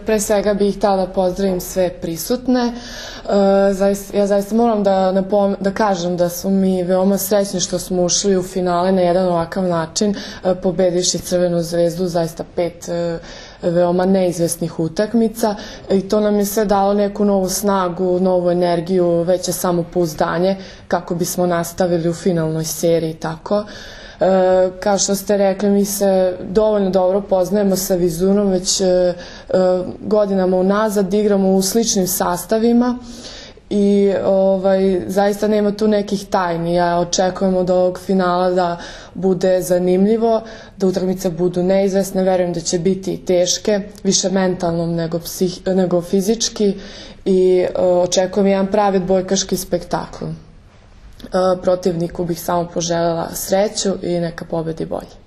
Pre svega bih htjela da pozdravim sve prisutne. Ja zaista moram da kažem da smo mi veoma srećni što smo ušli u finale na jedan ovakav način, pobedivši Crvenu zvezdu, zaista 5 veoma neizvesnih utakmica, i to nam je sve dalo neku novu snagu, novu energiju, veće samopouzdanje kako bismo nastavili u finalnoj seriji tako. Kao što ste rekli, mi se dovoljno dobro poznajemo sa Vizunom, već godinama unazad igramo u sličnim sastavima i zaista nema tu nekih tajni. Ja očekujem od ovog finala da bude zanimljivo, da utakmice budu neizvesne, verujem da će biti teške, više mentalno nego fizički, i očekujem jedan pravi odbojkaški spektakl. Protivniku bih samo poželjela sreću i neka pobedi bolje.